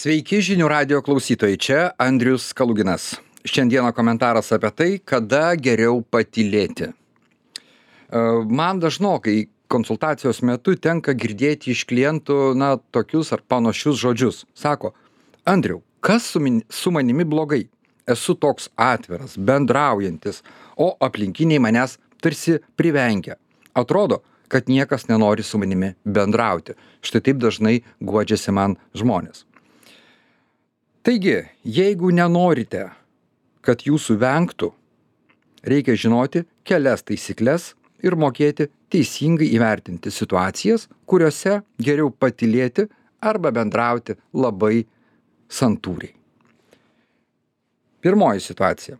Sveiki žinių radio klausytojai, čia Andrius Kaluginas. Šiandieną komentaras apie tai, kada geriau patylėti. Man dažnokai konsultacijos metu tenka girdėti iš klientų, tokius ar panašius žodžius. Sako, Andriau, kas su manimi blogai? Esu toks atviras, bendraujantis, o aplinkiniai manęs tarsi privengia. Atrodo, kad niekas nenori su manimi bendrauti. Štai taip dažnai guodžiasi man žmonės. Taigi, jeigu nenorite, kad jūsų vengtų, reikia žinoti kelias taisyklės ir mokėti teisingai įvertinti situacijas, kuriuose geriau patylėti arba bendrauti labai santūriai. Pirmoji situacija.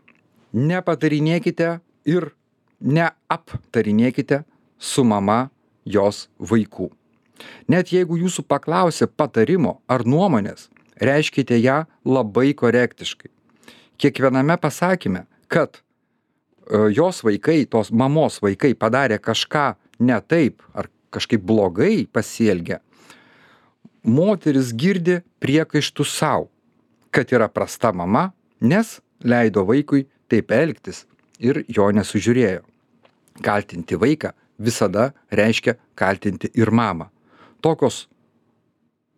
Nepatarinėkite ir neaptarinėkite su mama jos vaikų. Net jeigu jūsų paklausia patarimo ar nuomonės, reiškite ją labai korektiškai. Kiekviename pasakyme, kad jos vaikai, tos mamos vaikai padarė kažką ne taip ar kažkaip blogai pasielgė, moteris girdi priekaištus savo, kad yra prasta mama, nes leido vaikui taip elgtis ir jo nesužiūrėjo. Kaltinti vaiką visada reiškia kaltinti ir mamą. Tokios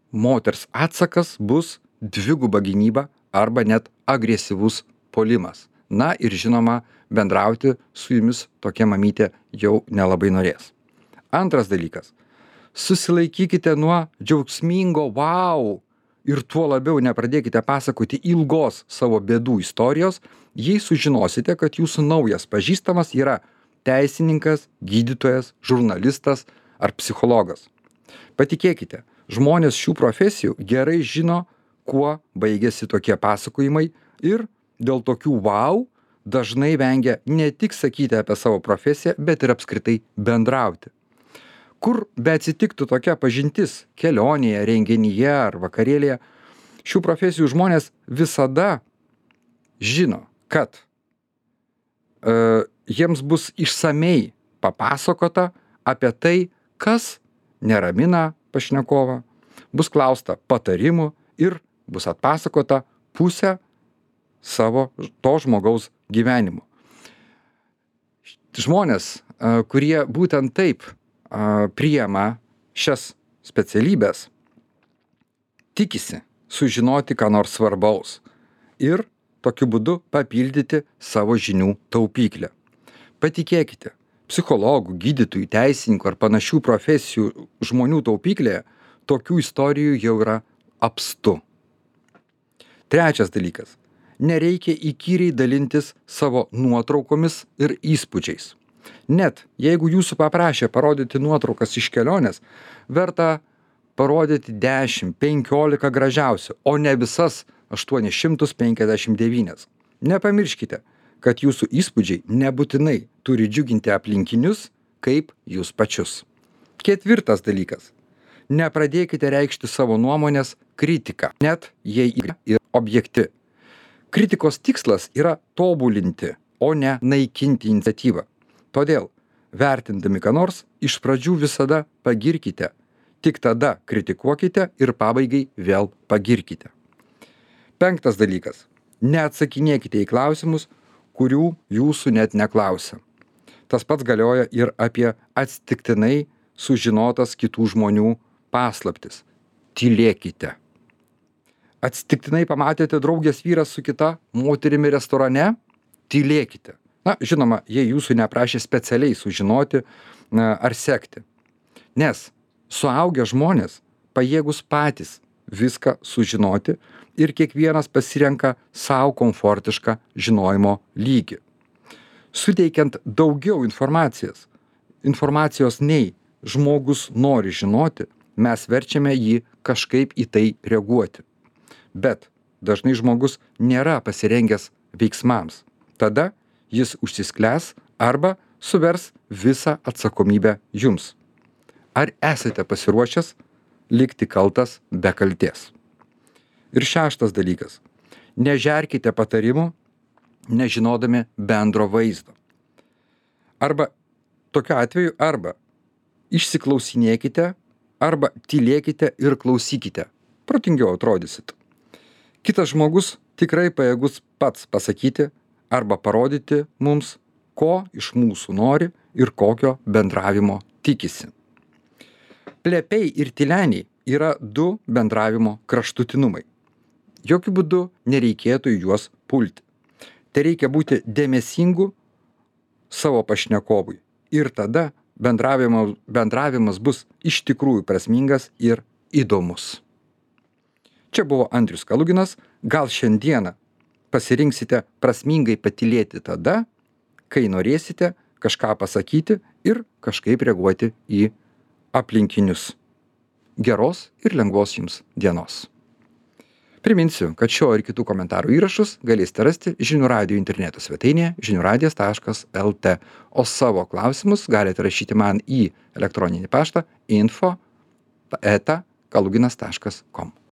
moters atsakas bus dviguba gynyba arba net agresyvus puolimas. Na ir žinoma, bendrauti su jumis tokia mamytė jau nelabai norės. Antras dalykas. Susilaikykite nuo džiaugsmingo wow ir tuo labiau nepradėkite pasakoti ilgos savo bėdų istorijos, jei sužinosite, kad jūsų naujas pažįstamas yra teisininkas, gydytojas, žurnalistas ar psichologas. Patikėkite, žmonės šių profesijų gerai žino, kuo baigėsi tokie pasakojimai ir dėl tokių wow dažnai vengia ne tik sakyti apie savo profesiją, bet ir apskritai bendrauti. Kur beatsitiktų tokia pažintis kelionėje, renginyje ar vakarėlėje, šių profesijų žmonės visada žino, kad jiems bus išsamei papasakota apie tai, kas neramina pašnekovą, bus klausta patarimų ir bus atpasakota pusę savo to žmogaus gyvenimo. Žmonės, kurie būtent taip priima šias specialybės, tikisi sužinoti ką nors svarbaus ir tokiu būdu papildyti savo žinių taupyklę. Patikėkite, psichologų, gydytojų, teisininkų ar panašių profesijų žmonių taupyklėje tokių istorijų jau yra apstu. Trečias dalykas. Nereikia įkyriai dalintis savo nuotraukomis ir įspūdžiais. Net jeigu jūsų paprašė parodyti nuotraukas iš kelionės, verta parodyti 10-15 gražiausių, o ne visas 859. Nepamirškite, kad jūsų įspūdžiai nebūtinai turi džiuginti aplinkinius kaip jūs pačius. Ketvirtas dalykas. Nepradėkite reikšti savo nuomonės kritiką, net jei yra ir objekti. Kritikos tikslas yra tobulinti, o ne naikinti iniciatyvą. Todėl, vertindami ką nors, iš pradžių visada pagirkite, tik tada kritikuokite ir pabaigai vėl pagirkite. Penktas dalykas. Neatsakinėkite į klausimus, kurių jūsų net neklausia. Tas pats galioja ir apie atsitiktinai sužinotas kitų žmonių paslaptis. Tylėkite. Atsitiktinai pamatėte draugės vyras su kita moterimi restorane? Tylėkite. Žinoma, jei jūsų neprašė specialiai sužinoti ar sekti. Nes suaugę žmonės pajėgus patys viską sužinoti ir kiekvienas pasirenka savo komfortišką žinojimo lygį. Suteikiant daugiau informacijos nei žmogus nori žinoti, mes verčiame jį kažkaip į tai reaguoti. Bet dažnai žmogus nėra pasirengęs veiksmams. Tada jis užsisklęs arba suvers visą atsakomybę jums. Ar esate pasiruošęs likti kaltas be kaltės? Ir šeštas dalykas. Nežerkite patarimų, nežinodami bendro vaizdo. Arba tokiu atveju išsiklausinėkite, arba tylėkite ir klausykite. Protingiau atrodysit. Kitas žmogus tikrai pajėgus pats pasakyti arba parodyti mums, ko iš mūsų nori ir kokio bendravimo tikisi. Plepiai ir tyleniai yra du bendravimo kraštutinumai. Jokių būdų nereikėtų į juos pulti. Tai reikia būti dėmesingu savo pašnekovui. Ir tada bendravimas bus iš tikrųjų prasmingas ir įdomus. Čia buvo Andrius Kaluginas. Gal šiandieną pasirinksite prasmingai patylėti tada, kai norėsite kažką pasakyti ir kažkaip reaguoti į aplinkinius. Geros ir lengvos jums dienos. Priminsiu, kad šio ir kitų komentarų įrašus galėsite rasti Žinių radijo interneto svetainėje žiniųradijas.lt, o savo klausimus galite rašyti man į elektroninį paštą info@kaluginas.com.